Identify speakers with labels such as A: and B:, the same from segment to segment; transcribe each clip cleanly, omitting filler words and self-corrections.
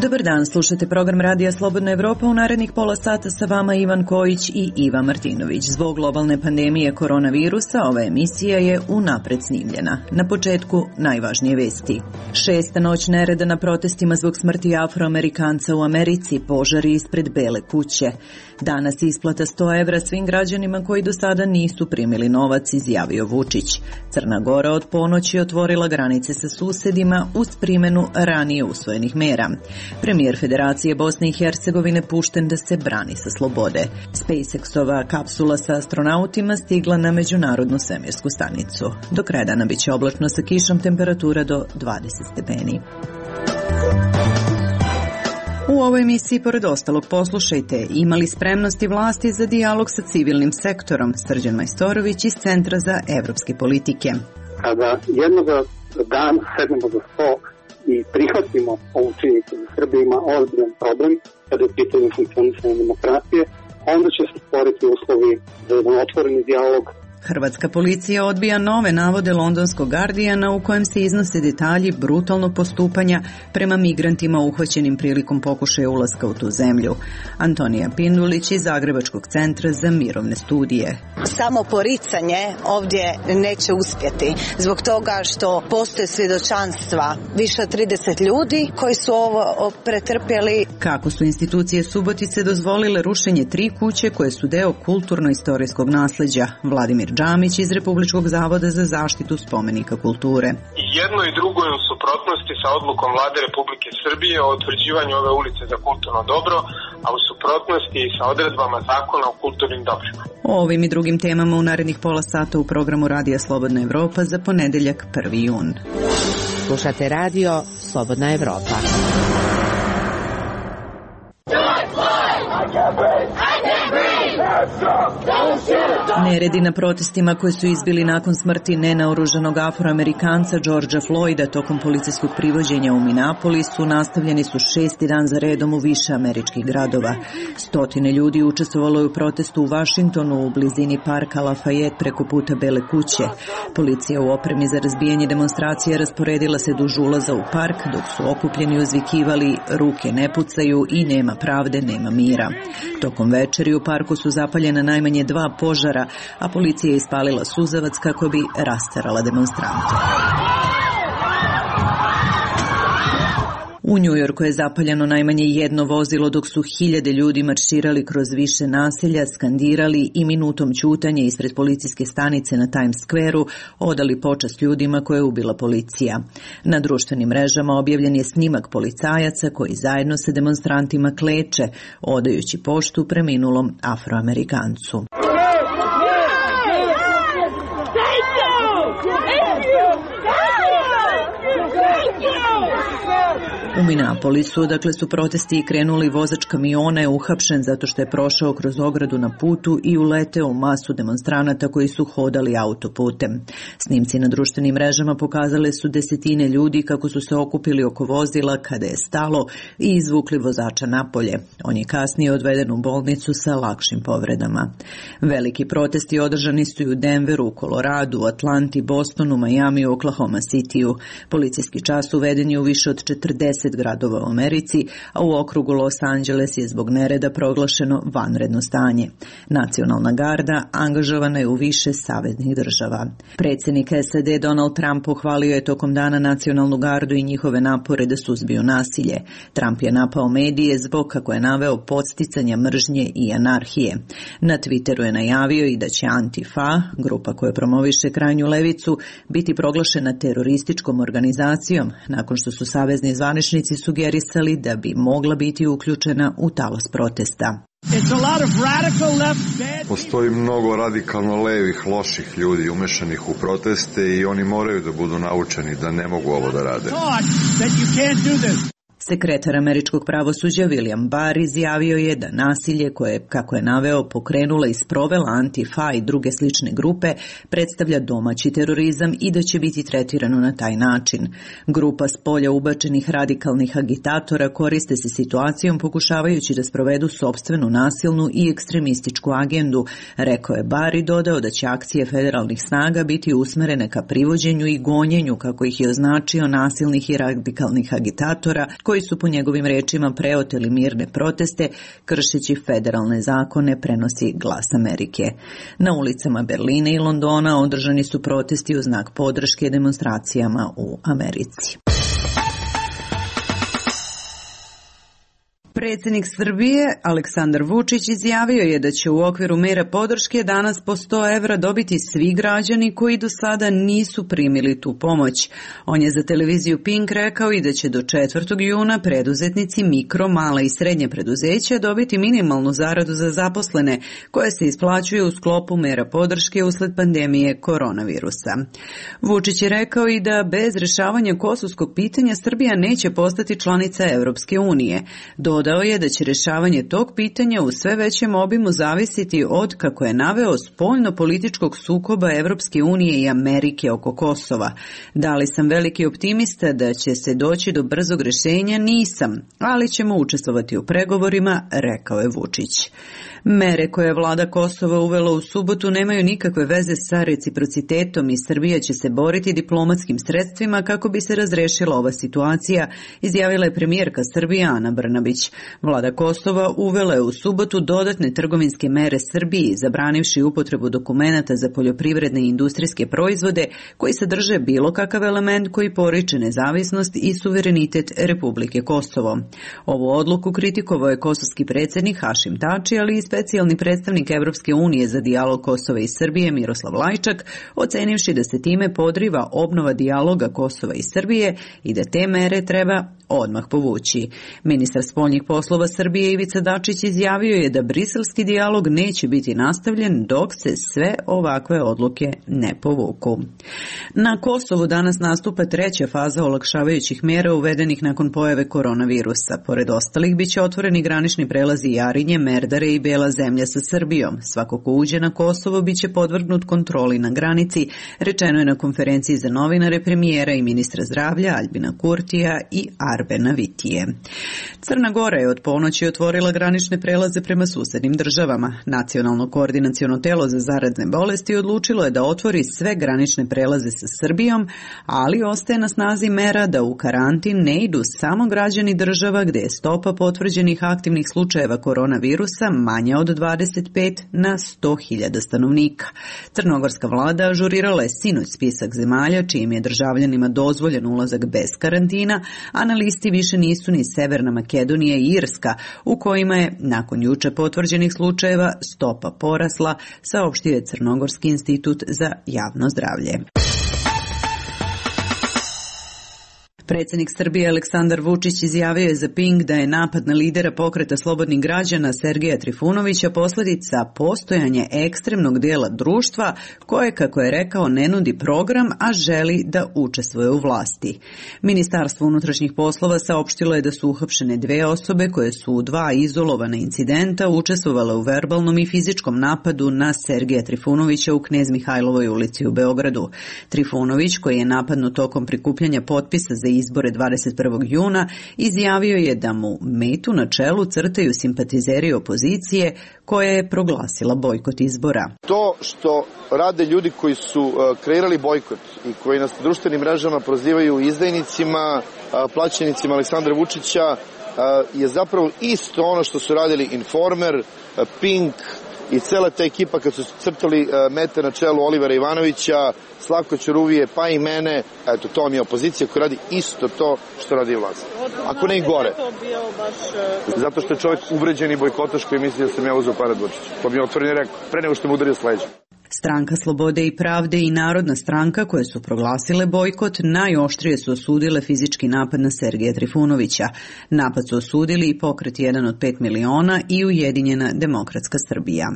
A: Dobar dan, slušate program Radija Slobodna Evropa. U narednih pola sata sa vama Ivan Kojić i Iva Martinović. Zbog globalne pandemije koronavirusa ova emisija je unapred snimljena. Na početku najvažnije vesti. 6. noć nereda na protestima zbog smrti Afroamerikanca u Americi, požari ispred Bele kuće. Danas isplata 100 evra svim građanima koji do sada nisu primili novac, izjavio Vučić. Crna Gora od ponoći otvorila granice sa susedima uz primjenu ranije usvojenih mera. Premijer Federacije Bosne i Hercegovine pušten da se brani sa slobode. SpaceX-ova kapsula sa astronautima stigla na Međunarodnu svemirsku stanicu. Do kraja dana bit će oblačno sa kišom, temperatura do 20 stepeni. U ovoj emisiji, pored ostalog, poslušajte, imali spremnosti vlasti za dijalog sa civilnim sektorom, Srđan Majstorović iz Centra za evropske politike.
B: Kada jednoga dana sednemo za sto i prihvatimo ovu činjenicu da Srbija ima ozbiljan problem kada je pitanje funkcionisanja demokratije, onda će se stvoriti uslovi za jedan otvoreni dijalog.
A: Hrvatska policija odbija nove navode londonskog Guardiana u kojem se iznose detalji brutalnog postupanja prema migrantima uhvaćenim prilikom pokušaja ulaska u tu zemlju. Antonija Pindulić iz Zagrebačkog centra za mirovne studije.
C: Samo poricanje ovdje neće uspjeti zbog toga što postoje svjedočanstva više od 30 ljudi koji su ovo pretrpjeli.
A: Kako su institucije Subotice dozvolile rušenje 3 kuće koje su deo kulturno-istorijskog nasleđa? Vladimir Džamić iz Republičkog zavoda za zaštitu spomenika kulture.
D: Jedno i drugo je u suprotnosti sa odlukom Vlade Republike Srbije o utvrđivanju ove ulice za kulturno dobro, a u suprotnosti i sa odredbama zakona o kulturnim dobrima.
A: O ovim i drugim temama u narednih pola sata u programu Radija Slobodna Evropa za ponedeljak 1. jun.
E: Slušate Radio Slobodna Evropa.
A: Neredi na protestima koji su izbili nakon smrti nenaoružanog Afroamerikanca Georgea Floyda tokom policijskog privođenja u Minneapolisu nastavljeni su 6. dan za redom u više američkih gradova. Stotine ljudi učestvovalo je u protestu u Vašingtonu u blizini parka Lafayette preko puta Bele kuće. Policija u opremi za razbijanje demonstracije rasporedila se duž ulaza u park dok su okupljeni uzvikivali "Ruke ne pucaju" i "Nema pravde, nema mira". Tokom večeri u parku su zapaljena najmanje 2 požara, a policija je ispalila suzavac kako bi rasterala demonstrante. U Njujorku je zapaljeno najmanje 1 vozilo dok su hiljade ljudi marširali kroz više naselja, skandirali i minutom ćutanja ispred policijske stanice na Times Square-u odali počast ljudima koje je ubila policija. Na društvenim mrežama objavljen je snimak policajaca koji zajedno sa demonstrantima kleče, odajući poštu preminulom Afroamerikancu. U Minneapolisu, dakle, su protesti krenuli, vozač kamiona je uhapšen zato što je prošao kroz ogradu na putu i uleteo u masu demonstranata koji su hodali autoputem. Snimci na društvenim mrežama pokazale su desetine ljudi kako su se okupili oko vozila kada je stalo i izvukli vozača napolje. On je kasnije odveden u bolnicu sa lakšim povredama. Veliki protesti održani su i u Denveru, Koloradu, Atlanti, Bostonu, Majamiju, Oklahoma Cityu. Policijski čas uveden je u više od 40 gradova u Americi, a u okrugu Los Angeles je zbog nereda proglašeno vanredno stanje. Nacionalna garda angažovana je u više saveznih država. Predsjednik SAD Donald Trump pohvalio je tokom dana nacionalnu gardu i njihove napore da suzbiju nasilje. Trump je napao medije zbog, kako je naveo, podsticanja mržnje i anarhije. Na Twitteru je najavio i da će Antifa, grupa koja promoviše krajnju levicu, biti proglašena terorističkom organizacijom nakon što su savezni zvaničnici sugerisali da bi mogla biti uključena u talas protesta.
F: Postoji mnogo radikalno levih, loših ljudi umešanih u proteste i oni moraju da budu naučeni da ne mogu ovo da rade.
A: Sekretar američkog pravosuđa William Barr izjavio je da nasilje koje, kako je naveo, pokrenula i sprovela Antifa i druge slične grupe predstavlja domaći terorizam i da će biti tretirano na taj način. Grupa s polja ubačenih radikalnih agitatora koriste se situacijom pokušavajući da sprovedu sopstvenu nasilnu i ekstremističku agendu, rekao je Barr i dodao da će akcije federalnih snaga biti usmerene ka privođenju i gonjenju, kako ih je označio, nasilnih i radikalnih agitatora koji koji su po njegovim rečima preoteli mirne proteste kršeći federalne zakone, prenosi Glas Amerike. Na ulicama Berlina i Londona održani su protesti u znak podrške demonstracijama u Americi. Predsjednik Srbije Aleksandar Vučić izjavio je da će u okviru mera podrške danas po 100 evra dobiti svi građani koji do sada nisu primili tu pomoć. On je za televiziju Pink rekao i da će do 4. juna preduzetnici mikro, mala i srednje preduzeća dobiti minimalnu zaradu za zaposlene koja se isplaćuje u sklopu mera podrške usled pandemije koronavirusa. Vučić je rekao i da bez rješavanja kosovskog pitanja Srbija neće postati članica Evropske unije. Dodao je da će rješavanje tog pitanja u sve većem obimu zavisiti od, kako je naveo, spoljno-političkog sukoba Evropske unije i Amerike oko Kosova. Da li sam veliki optimista da će se doći do brzog rješenja? Nisam, ali ćemo učestvovati u pregovorima, rekao je Vučić. Mere koje je vlada Kosova uvela u subotu nemaju nikakve veze sa reciprocitetom i Srbija će se boriti diplomatskim sredstvima kako bi se razrešila ova situacija, izjavila je premijerka Srbije Ana Brnabić. Vlada Kosova uvela je u subotu dodatne trgovinske mere Srbiji, zabranivši upotrebu dokumenata za poljoprivredne i industrijske proizvode koji sadrže bilo kakav element koji poriče nezavisnost i suverenitet Republike Kosovo. Ovu odluku kritikovao je kosovski predsjednik Hašim Tači, ali i specijalni predstavnik Evropske unije za dijalog Kosova i Srbije Miroslav Lajčak, ocenivši da se time podriva obnova dijaloga Kosova i Srbije i da te mere treba odmah povući. Ministar spoljnih poslova Srbije Ivica Dačić izjavio je da briselski dijalog neće biti nastavljen dok se sve ovakve odluke ne povuku. Na Kosovu danas nastupa treća faza olakšavajućih mjera uvedenih nakon pojave koronavirusa. Pored ostalih biće otvoreni granični prelazi Jarinje, Merdare i Bela zemlja sa Srbijom. Svako ko uđe na Kosovo biće podvrgnut kontroli na granici, rečeno je na konferenciji za novinare premijera i ministra zdravlja Aljbina Kurtija i Arbena Vitije. Crna Gora je od ponoći otvorila granične prelaze prema susednim državama. Nacionalno koordinaciono telo za zarazne bolesti odlučilo je da otvori sve granične prelaze sa Srbijom, ali ostaje na snazi mera da u karantin ne idu samo građani država gde je stopa potvrđenih aktivnih slučajeva koronavirusa manja od 25 na 100.000 stanovnika. Crnogorska vlada ažurirala je sinoć spisak zemalja čijim je državljanima dozvoljen ulazak bez karantina, a na listi više nisu ni Severna Makedonija i Irska, u kojima je nakon juče potvrđenih slučajeva stopa porasla, saopštio je Crnogorski institut za javno zdravlje. Predsjednik Srbije Aleksandar Vučić izjavio je za Pink da je napad na lidera pokreta slobodnih građana Sergeja Trifunovića posljedica postojanja ekstremnog dijela društva koje, kako je rekao, ne nudi program, a želi da učestvuje u vlasti. Ministarstvo unutrašnjih poslova saopštilo je da su uhapšene 2 osobe koje su u 2 izolovana incidenta učestvovale u verbalnom i fizičkom napadu na Sergeja Trifunovića u Knez Mihajlovoj ulici u Beogradu. Trifunović, koji je napadnut tokom prikupljanja potpisa za izbore 21. juna, izjavio je da mu metu na čelu crtaju simpatizeri opozicije koja je proglasila bojkot izbora.
G: To što rade ljudi koji su kreirali bojkot i koji nas na društvenim mrežama prozivaju izdajnicima, plaćenicima Aleksandra Vučića, je zapravo isto ono što su radili Informer, Pink i cela ta ekipa kad su crtali mete na čelu Olivera Ivanovića, Slavko Ćuruvije, pa i mene. Eto, to vam je opozicija koja radi isto to što radi vlast. Ako ne i gore. Zato što je čovjek uvređeni bojkotaš koji misli da sam ja uzeo pare od Vučića. To mi je otvoreno rekao, pre nego što mu udario s leđa.
A: Stranka Slobode i pravde i Narodna stranka koje su proglasile bojkot najoštrije su osudile fizički napad na Sergeja Trifunovića. Napad su osudili i pokret 1 od 5 miliona i Ujedinjena demokratska Srbija.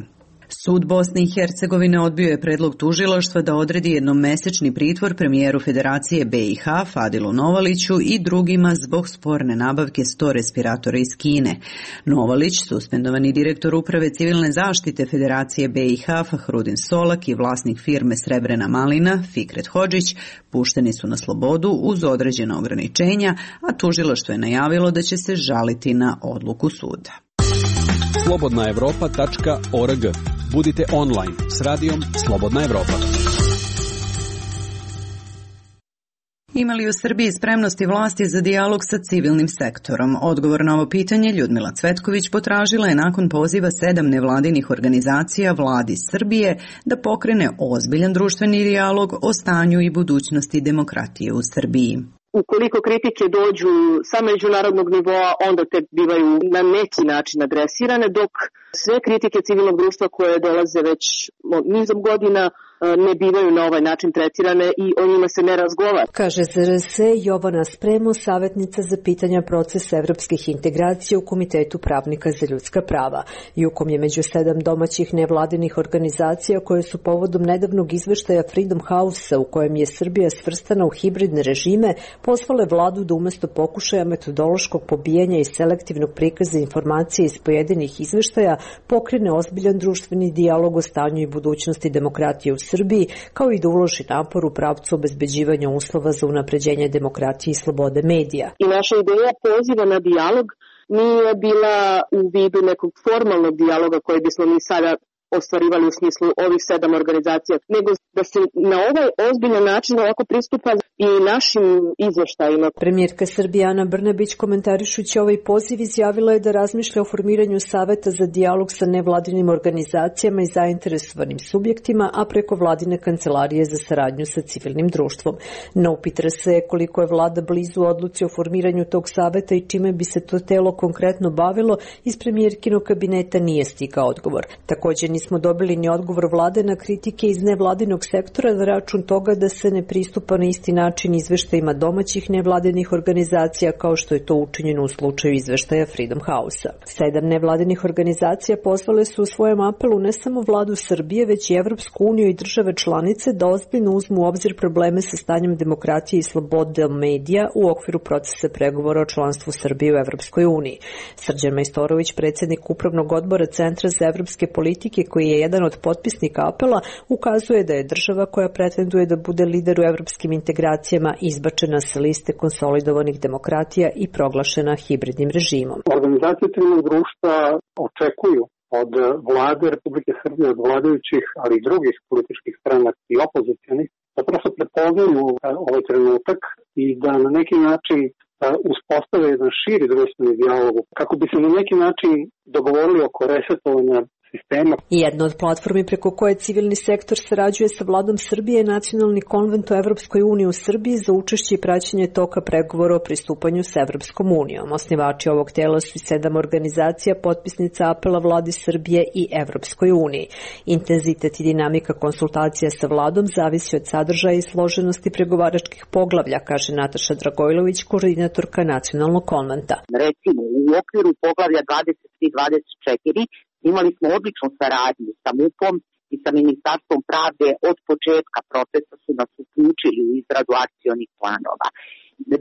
A: Sud Bosne i Hercegovine odbio je predlog tužilaštva da odredi jednomesečni pritvor premijeru Federacije BiH Fadilu Novaliću i drugima zbog sporne nabavke 100 respiratora iz Kine. Novalić, suspendovani direktor uprave civilne zaštite Federacije BiH Fahrudin Solak i vlasnik firme Srebrena malina Fikret Hodžić pušteni su na slobodu uz određena ograničenja, a tužilaštvo je najavilo da će se žaliti na odluku suda.
H: slobodnaevropa.org. Budite online s radijom Slobodna Evropa.
A: Ima li u Srbiji spremnosti vlasti za dijalog sa civilnim sektorom? Odgovor na ovo pitanje Ljudmila Cvetković potražila je nakon poziva 7 nevladinih organizacija vladi Srbije da pokrene ozbiljan društveni dijalog o stanju i budućnosti demokratije u Srbiji.
I: Ukoliko kritike dođu sa međunarodnog nivoa, onda te bivaju na neki način adresirane, dok sve kritike civilnog društva koje dolaze već nizom godina ne bivaju na ovaj način tretirane i o njima se ne razgovara.
J: Kaže ZRS Jovana Spremo, savjetnica za pitanja procesa evropskih integracija u Komitetu pravnika za ljudska prava. Jukom je među 7 domaćih nevladinih organizacija koje su povodom nedavnog izveštaja Freedom House-a u kojem je Srbija svrstana u hibridne režime, pozvale vladu da umesto pokušaja metodološkog pobijanja i selektivnog prikaza informacije iz pojedinih izveštaja pokrene ozbiljan društveni dijalog o stanju i budućnosti demokratije u Srbiji, kao i da uloži napor u pravcu obezbeđivanja uslova za unapređenje demokratije i slobode medija.
I: I naša ideja poziva na dijalog nije bila u vidu nekog formalnog dijaloga koji bismo mi sada ostvarivali u smislu ovih 7 organizacija, nego da se na ovaj ozbiljan način ovako pristupa i našim izveštajima.
J: Premijerka Srbije Ana Brnabić, komentarišući ovaj poziv, izjavila je da razmišlja o formiranju saveta za dijalog sa nevladinim organizacijama i zainteresovanim subjektima, a preko vladine kancelarije za saradnju sa civilnim društvom. No upitra se koliko je vlada blizu odluci o formiranju tog saveta i čime bi se to telo konkretno bavilo, iz premijerkinog kabineta nije stigao odgovor. Također nismo dobili ni odgovor vlade na kritike iz nevladinog sektora na račun toga da se ne pristupa na isti način izveštajima domaćih nevladinih organizacija kao što je to učinjeno u slučaju izveštaja Freedom House-a. 7 nevladinih organizacija pozvale su u svojem apelu ne samo vladu Srbije, već i Evropsku uniju i države članice da ozbiljno uzmu u obzir probleme sa stanjem demokratije i slobode medija u okviru procesa pregovora o članstvu Srbije u Evropskoj uniji. Srđan Majstorović, predsjednik Upravnog odbora Centra za evropske politike, koji je jedan od potpisnika apela, ukazuje da je država koja pretenduje da bude lider u evropskim integracijama izbačena sa liste konsolidovanih demokratija i proglašena hibridnim režimom.
B: Organizacije civilnog društva očekuju od vlade Republike Srbije, od vladajućih, ali i drugih političkih stranaka i opozicionih, da prosto prepoznaju ovaj trenutak i da na neki način uspostave jedan širi društveni dijalog, kako bi se na neki način dogovorili oko resetovanja sistema.
J: Jedna od platformi preko koje civilni sektor sarađuje sa vladom Srbije je Nacionalni konvent o Evropskoj uniji u Srbiji za učešće i praćenje toka pregovora o pristupanju s Evropskom unijom. Osnivači ovog tela su 7 organizacija potpisnica apela vladi Srbije i Evropskoj uniji. Intenzitet i dinamika konsultacija sa vladom zavisi od sadržaja i složenosti pregovaračkih poglavlja, kaže Nataša Dragojlović, koordinatorka Nacionalnog konventa.
K: Recimo, u okviru poglavlja 23-24 imali smo odličnu saradnju sa MUP-om i sa Ministarstvom pravde. Od početka procesa su nas uključili u izradu akcionih planova.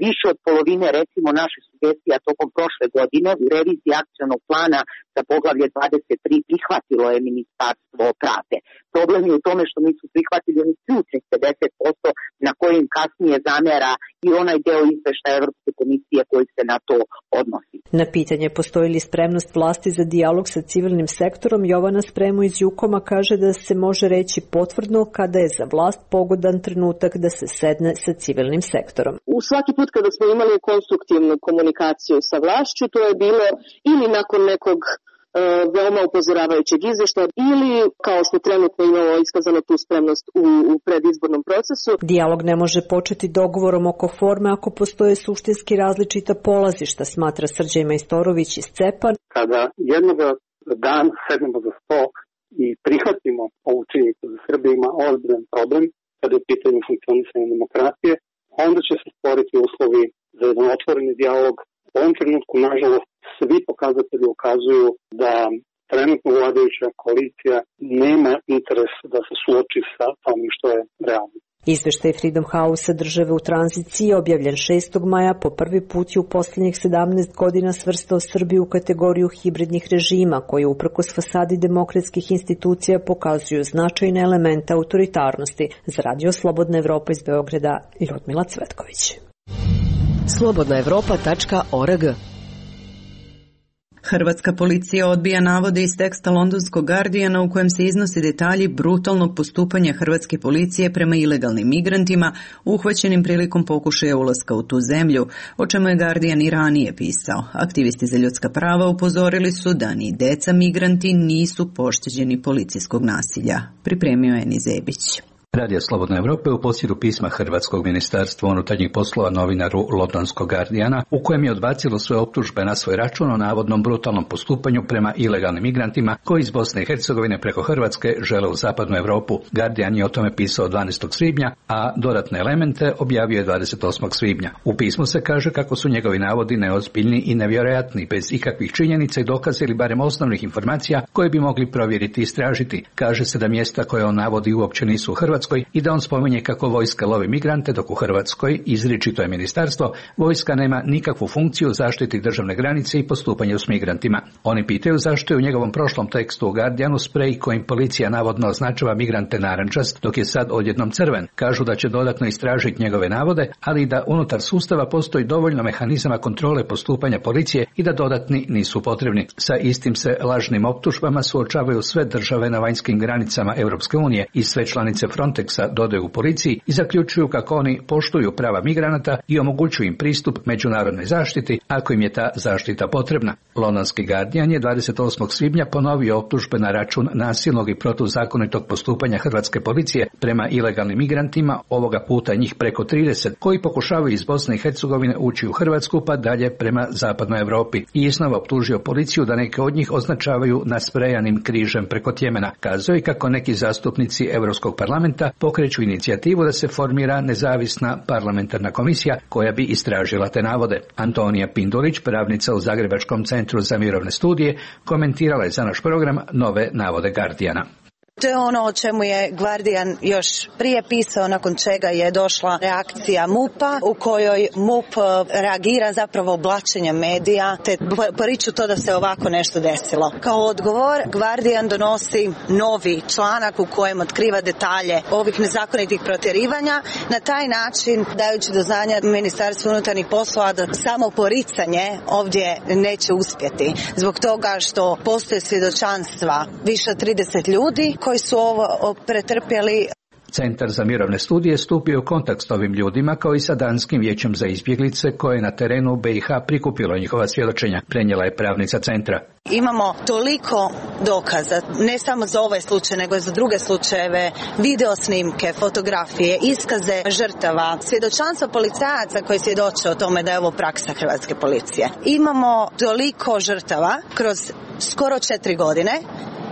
K: Više od polovine, recimo, naših sugestija tokom prošle godine u reviziji akcionog plana za poglavlje 23 prihvatilo je Ministarstvo pravde. Problem je u tome što nisu prihvatili onih ključnih 50% na kojim kasnije zamera i onaj deo izveštaja Evropske komisije koji se na to odnosi.
J: Na pitanje postoji li spremnost vlasti za dijalog sa civilnim sektorom, Jovana Spremo iz Jukoma kaže da se može reći potvrdno kada je za vlast pogodan trenutak da se sedne sa civilnim sektorom.
I: Svaki put kada smo imali konstruktivnu komunikaciju sa vlašću, to je bilo ili nakon nekog veoma upozoravajućeg izveštaja ili, kao što trenutno imamo iskazano tu spremnost u predizbornom procesu.
J: Dijalog ne može početi dogovorom oko forme ako postoje suštinski različita polazišta, smatra Srđan Majstorović iz CEPA.
B: Kada jednoga dana sednemo za sto i prihvatimo ovu činjenicu da Srbija ima ozbiljan problem kada je pitanje funkcionisanja demokratije, onda će se stvoriti uslovi za jedan otvoreni dijalog. U ovom trenutku, nažalost, svi pokazatelji ukazuju da trenutno vladajuća koalicija nema interes da se suoči sa onim što je realno.
J: Izveštaj Freedom House države u tranziciji, objavljen 6. maja, po prvi put je u posljednjih 17 godina svrstao Srbiju u kategoriju hibridnih režima, koji uprkos fasadi demokratskih institucija pokazuju značajne elemente autoritarnosti. Za Radio Slobodna Evropa iz Beograda, Ljudmila Cvetković.
E: slobodnaevropa.org
A: Hrvatska policija odbija navode iz teksta londonskog Guardiana u kojem se iznose detalji brutalnog postupanja hrvatske policije prema ilegalnim migrantima uhvaćenim prilikom pokušaja ulaska u tu zemlju, o čemu je Guardian i ranije pisao. Aktivisti za ljudska prava upozorili su da ni deca migranti nisu pošteđeni policijskog nasilja. Pripremio je Eni Zebić.
L: Radio Slobodna Evropa je u posjedu pisma Hrvatskog ministarstva unutarnjih poslova novinaru londonskog Guardiana, u kojem je odbacilo sve optužbe na svoj račun o navodnom brutalnom postupanju prema ilegalnim migrantima koji iz Bosne i Hercegovine preko Hrvatske žele u zapadnu Evropu. Guardian je o tome pisao 12. svibnja, a dodatne elemente objavio je 28. svibnja. U pismu se kaže kako su njegovi navodi neozbiljni i nevjerojatni, bez ikakvih činjenica i dokaza ili barem osnovnih informacija koje bi mogli provjeriti i istražiti. Kaže se da mjesta koje on navodi uopće nisu u Hrvatskoj i da on spominje kako vojska lovi migrante, dok u Hrvatskoj, izričito je ministarstvo, vojska nema nikakvu funkciju zaštiti državne granice i postupanja s migrantima. Oni pitaju zašto je u njegovom prošlom tekstu u Guardianu sprej kojim policija navodno označava migrante narančast, dok je sad odjednom crven. Kažu da će dodatno istražiti njegove navode, ali i da unutar sustava postoji dovoljno mehanizama kontrole postupanja policije i da dodatni nisu potrebni. Sa istim se lažnim optužbama suočavaju sve države na vanjskim granicama Europske unije i sve članice Frontexa dodaju u policiji i zaključuju kako oni poštuju prava migranata i omogućuju im pristup međunarodnoj zaštiti ako im je ta zaštita potrebna. Londonski Guardian je 28. svibnja ponovio optužbe na račun nasilnog i protuzakonitog postupanja hrvatske policije prema ilegalnim migrantima, ovoga puta njih preko 30, koji pokušavaju iz Bosne i Hercegovine ući u Hrvatsku pa dalje prema zapadnoj Europi. I iznova optužio policiju da neke od njih označavaju nasprejanim križem preko Tjemena. Kazao je kako neki zastupnici Europskog parlamenta pokreću inicijativu da se formira nezavisna parlamentarna komisija koja bi istražila te navode. Antonija Pindulić, pravnica u Zagrebačkom centru za mirovne studije, komentirala je za naš program nove navode Guardiana.
C: To je ono o čemu je Guardian još prije pisao, nakon čega je došla reakcija MUP-a, u kojoj MUP reagira zapravo oblačenjem medija, te poriču to da se ovako nešto desilo. Kao odgovor, Guardian donosi novi članak u kojem otkriva detalje ovih nezakonitih protjerivanja, na taj način dajući do znanja Ministarstvu unutarnjih poslova da samo poricanje ovdje neće uspjeti. Zbog toga što postoje svjedočanstva više od 30 ljudi koji su ovo pretrpjeli.
L: Centar za mirovne studije stupio u kontakt s ovim ljudima kao i sa Danskim vijećem za izbjeglice koje je na terenu BiH prikupilo njihova svjedočenja, prenijela je pravnica centra.
C: Imamo toliko dokaza, ne samo za ovaj slučaj, nego i za druge slučajeve, video snimke, fotografije, iskaze žrtava, svjedočanstva policajaca koji svjedoče o tome da je ovo praksa hrvatske policije. Imamo toliko žrtava kroz skoro 4 godine,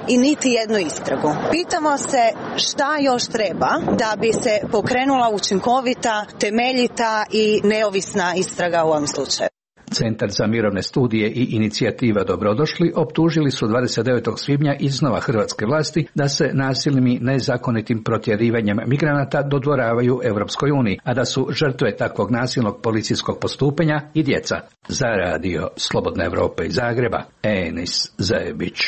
C: i niti jednu istragu. Pitamo se šta još treba da bi se pokrenula učinkovita, temeljita i neovisna istraga u ovom slučaju.
L: Centar za mirovne studije i inicijativa Dobrodošli optužili su 29. svibnja iznova hrvatske vlasti da se nasilnim i nezakonitim protjerivanjem migranata dodvoravaju Europskoj uniji, a da su žrtve takvog nasilnog policijskog postupanja i djeca. Za radio Slobodna Evropa iz Zagreba, Enis Zebić.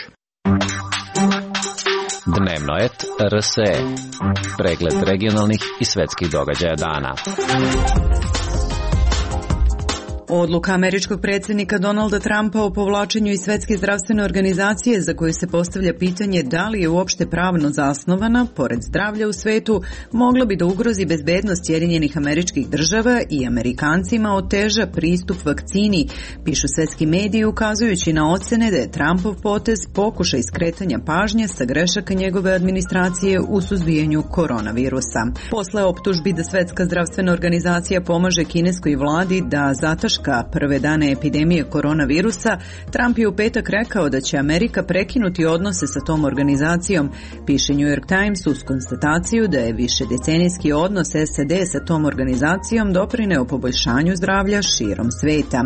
M: Dnevno et RSE. Pregled regionalnih i svetskih događaja dana.
A: Odluka američkog predsjednika Donalda Trumpa o povlačenju iz Svjetske zdravstvene organizacije, za koju se postavlja pitanje da li je uopšte pravno zasnovana, pored zdravlja u svetu, mogla bi da ugrozi bezbednost Sjedinjenih Američkih Država i Amerikancima oteža pristup vakcini, pišu svetski mediji ukazujući na ocene da je Trumpov potez pokušaj skretanja pažnje sa grešaka njegove administracije u suzbijanju koronavirusa. Posle optužbi da Svjetska zdravstvena organizacija pomaže kineskoj vladi da zataška prve dane epidemije koronavirusa, Trump je u petak rekao da će Amerika prekinuti odnose sa tom organizacijom, piše New York Times uz konstataciju da je višedecenijski odnos SAD sa tom organizacijom doprineo poboljšanju zdravlja širom sveta.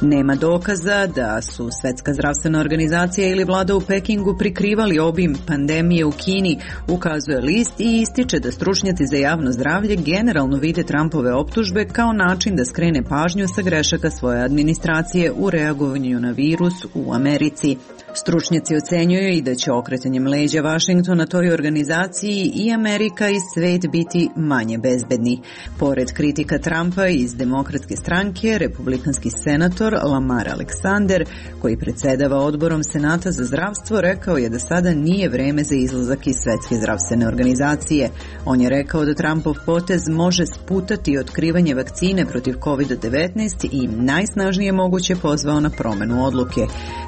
A: Nema dokaza da su Svjetska zdravstvena organizacija ili vlada u Pekingu prikrivali obim pandemije u Kini, ukazuje list i ističe da stručnjaci za javno zdravlje generalno vide Trumpove optužbe kao način da skrene pažnju sa grešaka svoje administracije u reagovanju na virus u Americi. Stručnjaci ocenjuju i da će okretanjem leđa Vašingtona toj organizaciji i Amerika i svet biti manje bezbedni. Pored kritika Trumpa iz Demokratske stranke, republikanski senator Lamar Alexander, koji predsedava odborom Senata za zdravstvo, rekao je da sada nije vreme za izlazak iz Svetske zdravstvene organizacije. On je rekao da Trumpov potez može sputati otkrivanje vakcine protiv COVID-19 i najsnažnije moguće pozvao na promenu odluke.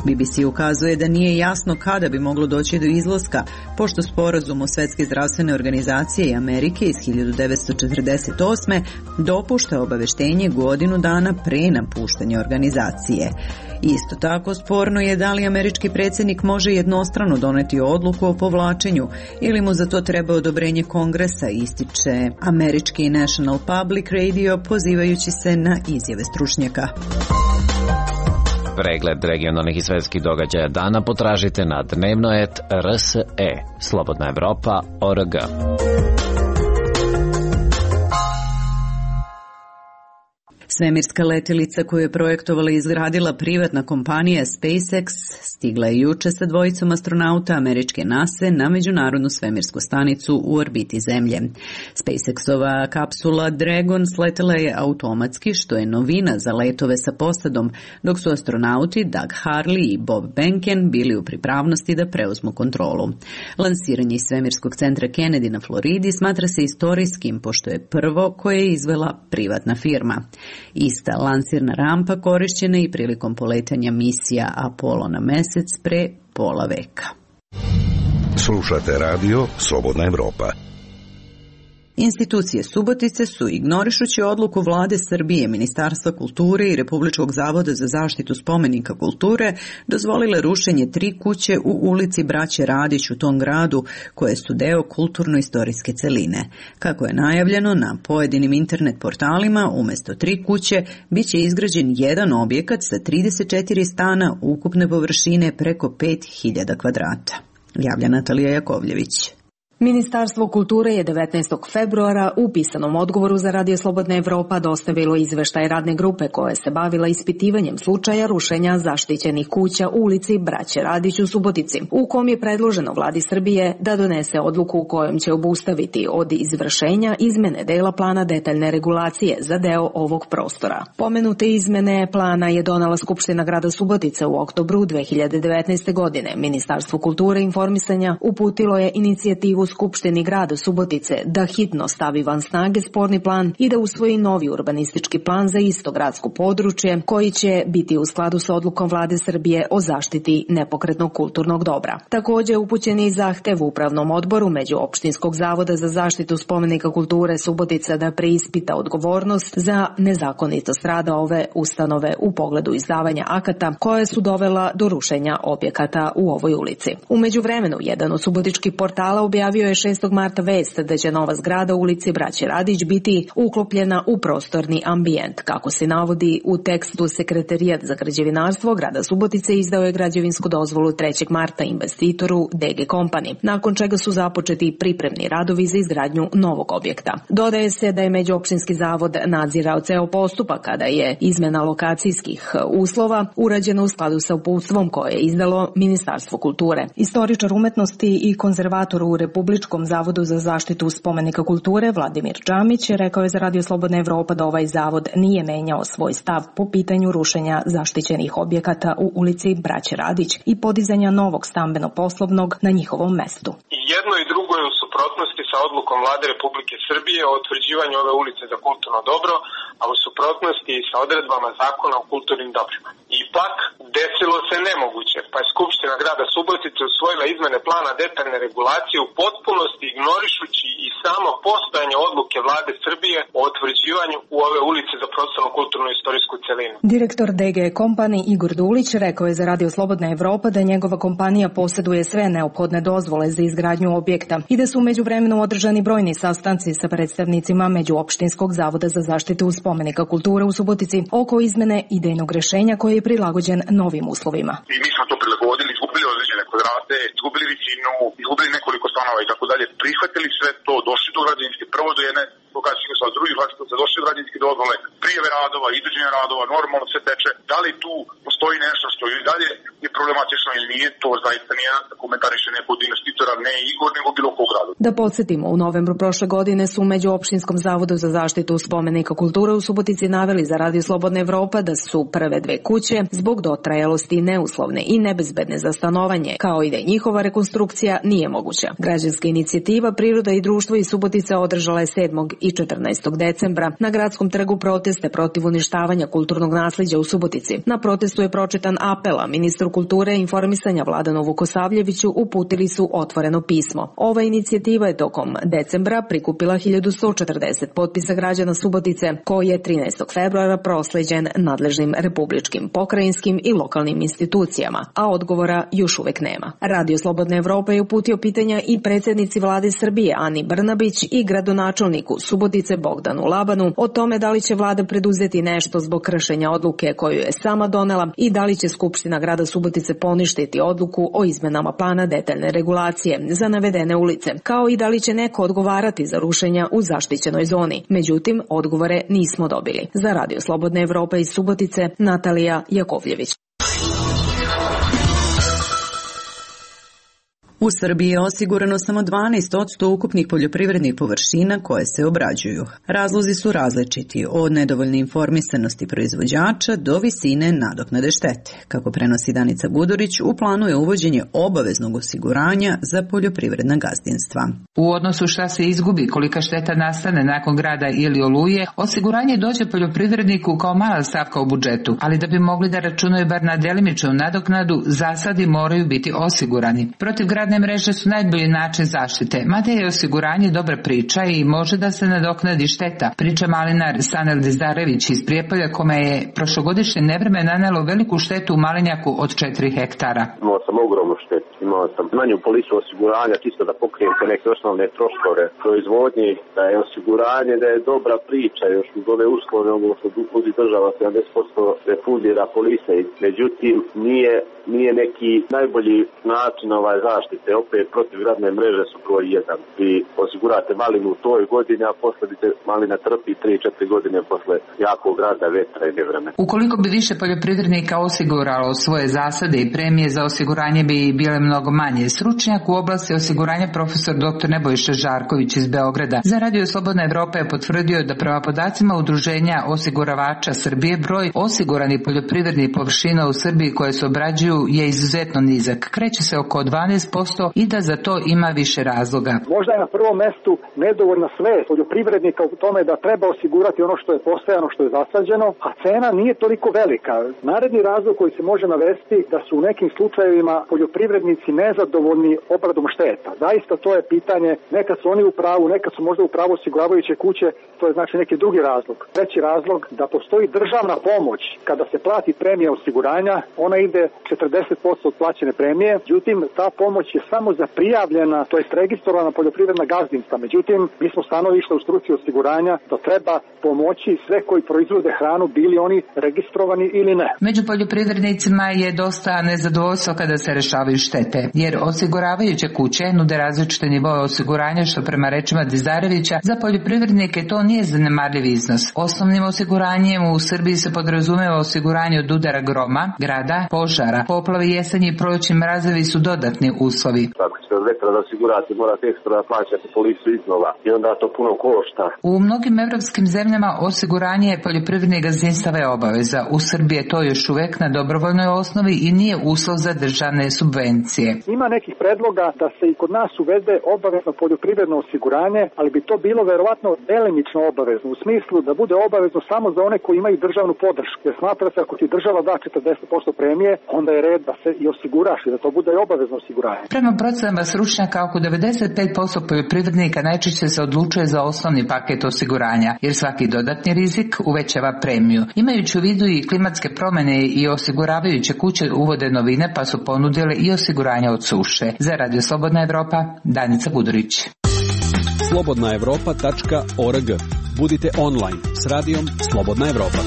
A: BBC ukazuje da nije jasno kada bi moglo doći do izlaska, pošto sporazum o Svetske zdravstvene organizacije i Amerike iz 1948. dopušta obaveštenje godinu dana pre napuštanja organizacije. Isto tako sporno je da li američki predsjednik može jednostrano doneti odluku o povlačenju ili mu za to treba odobrenje Kongresa, ističe američki National Public Radio pozivajući se na izjave stručnjaka.
M: Pregled regionalnih i svetskih događaja dana potražite na dnevno.rse, slobodnaevropa.org.
A: Svemirska letjelica koju je projektovala i izgradila privatna kompanija SpaceX stigla je juče sa dvojicom astronauta američke NASA na međunarodnu svemirsku stanicu u orbiti Zemlje. SpaceX-ova kapsula Dragon sletela je automatski, što je novina za letove sa posadom, dok su astronauti Doug Hurley i Bob Behnken bili u pripravnosti da preuzmu kontrolu. Lansiranje iz svemirskog centra Kennedy na Floridi smatra se istorijskim, pošto je prvo koje je izvela privatna firma. Ista lansirna rampa korišćena i prilikom poletanja misija Apollo na mesec pre pola veka.
N: Slušate radio Slobodna Evropa.
A: Institucije Subotice su, ignorišući odluku vlade Srbije, Ministarstva kulture i Republičkog zavoda za zaštitu spomenika kulture, dozvolile rušenje 3 kuće u ulici Braće Radić u tom gradu, koje su deo kulturno-istorijske celine. Kako je najavljeno, na pojedinim internet portalima umjesto 3 kuće biće izgrađen jedan objekat sa 34 stana ukupne površine preko 5000 kvadrata. Javlja Natalija Jakovljević.
O: Ministarstvo kulture je 19. februara u pisanom odgovoru za Radio Slobodna Evropa dostavilo izveštaj radne grupe koja se bavila ispitivanjem slučaja rušenja zaštićenih kuća u ulici Braće Radić u Subotici, u kom je predloženo vladi Srbije da donese odluku u kojom će obustaviti od izvršenja izmene dela plana detaljne regulacije za deo ovog prostora. Pomenute izmene plana je donala Skupština grada Subotice u oktobru 2019. godine. Ministarstvo kulture i informisanja uputilo je inicijativu Skupštini grada Subotice da hitno stavi van snage sporni plan i da usvoji novi urbanistički plan za isto gradsko područje, koji će biti u skladu sa odlukom vlade Srbije o zaštiti nepokretnog kulturnog dobra. Također upućen je i zahtev Upravnom odboru Međuopštinskog zavoda za zaštitu spomenika kulture Subotica da preispita odgovornost za nezakonitost rada ove ustanove u pogledu izdavanja akata koje su dovela do rušenja objekata u ovoj ulici. U međuvremenu, jedan od subotičkih portala objavio je 6. marta vest da će nova zgrada u ulici Braće Radić biti uklopljena u prostorni ambijent. Kako se navodi u tekstu, Sekretarijat za građevinarstvo grada Subotice izdao je građevinsku dozvolu 3. marta investitoru DG Company, nakon čega su započeti pripremni radovi za izgradnju novog objekta. Dodaje se da je Međuopštinski zavod nadzirao ceo postupak kada je izmena lokacijskih uslova urađena u skladu sa uputstvom koje je izdalo Ministarstvo kulture. Istoričar umetnosti i konzervator u Republičkom zavodu za zaštitu spomenika kulture Vladimir Džamić rekao je za Radio Slobodna Evropa da ovaj zavod nije menjao svoj stav po pitanju rušenja zaštićenih objekata u ulici Braće Radić i podizanja novog stambeno-poslovnog na njihovom mestu.
D: Jedno i drugo je u suprotnosti sa odlukom vlade Republike Srbije o utvrđivanju ove ulice za kulturno dobro, a u suprotnosti i sa odredbama zakona o kulturnim dobrima. Ipak, desilo se nemoguće, pa je Skupština grada Subotice usvojila izmene plana detaljne regulacije u potpunosti ignorišući i samo postojanje odluke vlade Srbije o utvrđivanju u ove ulice za prostorno kulturno istorijsku celinu.
O: Direktor DG Company Igor Dulić rekao je za Radio Slobodna Evropa da njegova kompanija posjeduje sve neophodne dozvole za izgradnju objekta i da su u međuvremenu održani brojni sastanci sa predstavnicima Međuopštinskog zavoda za zaštitu spomenika kulture u Subotici oko izmene idejnog rešenja koji je prilagođen novim uslovima.
P: I mi smo to prilagodili, izgubili određene kvadrate, izgubili visinu, izgubili nekoliko stanova i tako dalje. Prihvatili sve to, došli do građevinske, prvo do jedne lokacijske sa drugih lokacija, došli do građevinske dozvole, prijave radova, izvođenja radova, normalno sve teče. Da li tu postoji nešto što i dalje je problematično ili nije, to to zaista nije da komentariše neko od investitora, ne Igor, nego bilo kog grada.
O: Da podsjetimo, u novembru prošle godine su među Opštinskom zavodu za zaštitu spomenika kulture u Subotici naveli za Radio Slobodna Evropa da su prve dve kuće zbog dotrajalosti neuslovne i nebezbedne za stanovanje, kao i da njihova rekonstrukcija nije moguća. Građanska inicijativa Priroda i društvo iz Subotice održala je 7. i 14. decembra na gradskom trgu proteste protiv uništavanja kulturnog naslijeđa u Subotici. Na protestu je pročitan apel, a ministru kulture i informisanja Vladanu Vukosavljeviću uputili su otvoreno pismo. Ova inicijativa je tokom decembra prikupila 1140 potpisa građana Subotice, koji je 13. februara prosleđen nadležnim republičkim, pokrajinskim i lokalnim institucijama, a odgovora još uvek nema. Radio Slobodna Evropa je uputio pitanja i predsjednici vlade Srbije Ani Brnabić i gradonačelniku Subotice Bogdanu Labanu o tome da li će vlada preduzeti nešto zbog kršenja odluke koju je sama donela i da li će Skupština grada Subotice poništiti odluku o izmenama plana detaljne regulacije za navedene ulice, kao i da li će neko odgovarati za rušenja u zaštićenoj zoni. Međutim, odgovore nismo dobili. Za Radio Slobodna Evropa iz Subotice, Natalija Jakovljević.
A: U Srbiji je osigurano samo 12% ukupnih poljoprivrednih površina koje se obrađuju. Razlozi su različiti, od nedovoljne informisanosti proizvođača do visine nadoknade štete. Kako prenosi Danica Gudurić, u planu je uvođenje obaveznog osiguranja za poljoprivredna gazdinstva.
Q: U odnosu šta se izgubi, kolika šteta nastane nakon grada ili oluje, osiguranje dođe poljoprivredniku kao mala stavka u budžetu, ali da bi mogli da računaju bar na delimičnu nadoknadu, zasadi moraju biti osigurani. Protiv gradne mreže su najbolji način zaštite, mada je osiguranje dobra priča i može da se nadoknadi šteta. Priča malinar Sanel Dizdarević iz Prijepolja, kome je prošlogodišnje nevreme nanelo veliku štetu u malinjaku od 4 hektara.
R: Imao sam ogromnu štetu, imao sam manju polisu osiguranja, čisto da pokrijem te neke osnovne troškove proizvodnje, da je osiguranje, da je dobra priča, još uz ove uslove, ovo što budi država 70% refundira polise, međutim nije neki najbolji način zaštite. Opet protiv gradne mreže su broj 1. Vi osigurate malinu u toj godini, a posle bi te malina trpi 3-4 godine posle jakog grada, vetra i nevremena.
Q: Ukoliko bi više poljoprivrednika osiguralo svoje zasade i premije za osiguranje bi bile mnogo manje. Stručnjak u oblasti osiguranja profesor dr. Nebojša Žarković iz Beograda za Radio Slobodna Evropa je potvrdio da prema podacima Udruženja osiguravača Srbije broj osiguranih poljoprivrednih površina u Srbiji koje se obrađuju je izuzetno nizak. Kreće se oko 12% i da za to ima više razloga.
S: Možda je na prvom mestu nedovoljna svest poljoprivrednika u tome da treba osigurati ono što je posejano, što je zasađeno, a cena nije toliko velika. Naredni razlog koji se može navesti da su u nekim slučajevima poljoprivrednici nezadovoljni obradom šteta. Zaista to je pitanje, nekad su oni u pravu, nekad su možda u pravu osiguravajuće kuće, to je znači neki drugi razlog. Treći razlog da postoji državna pomoć kada se plati premija osiguranja, ona ide 40% od plaćene premije, međutim ta pomoć je samo za prijavljena, to jest registrovana poljoprivredna gazdinstva. Međutim, mi smo stanovišli u struci osiguranja da treba pomoći sve koji proizvode hranu, bili oni registrovani ili ne.
Q: Među poljoprivrednicima je dosta nezadovoljstva kada se rešavaju štete, jer osiguravajuće kuće nude različite nivoe osiguranja, što prema rečima Dizarevića za poljoprivrednike to nije zanemarljiv iznos. Osnovnim osiguranjem u Srbiji se podrazumeva osiguranje od udara groma, grada, požara, poplave, jesenji i prolećni mrazevi su dodatni uslovi.
R: Ako ćete od vetra da osigurate, morate ekstra plaćati polisu iznova i onda to puno košta.
Q: U mnogim evropskim zemljama osiguranje poljoprivrednih gazdinstava je obaveza. U Srbiji je to još uvek na dobrovoljnoj osnovi i nije uslov za državne subvencije.
S: Ima nekih predloga da se i kod nas uvede obavezno poljoprivredno osiguranje, ali bi to bilo verovatno delimično obavezno, u smislu da bude obavezno samo za one koji imaju državnu podršku. Jer smatra se ako ti država da 40% premije, onda je red da se i osiguraš i da to bude obavezno osiguranje.
Q: Prema procenama stručnjaka, oko 95% poljoprivrednika najčešće se odlučuje za osnovni paket osiguranja, jer svaki dodatni rizik uvećava premiju. Imajući u vidu i klimatske promjene i osiguravajuće kuće uvode novine, pa su ponudile i osiguranja od suše. Za Radio Slobodna Evropa, Danica Gudurić.
H: slobodnaevropa.org. Budite online s radijom Slobodna Evropa.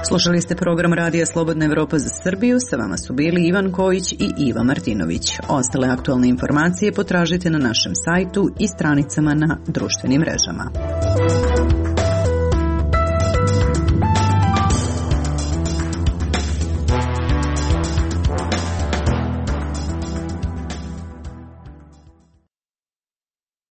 A: Slušali ste program Radija Slobodna Evropa za Srbiju, sa vama su bili Ivan Kojić i Iva Martinović. Ostale aktualne informacije potražite na našem sajtu i stranicama na društvenim mrežama.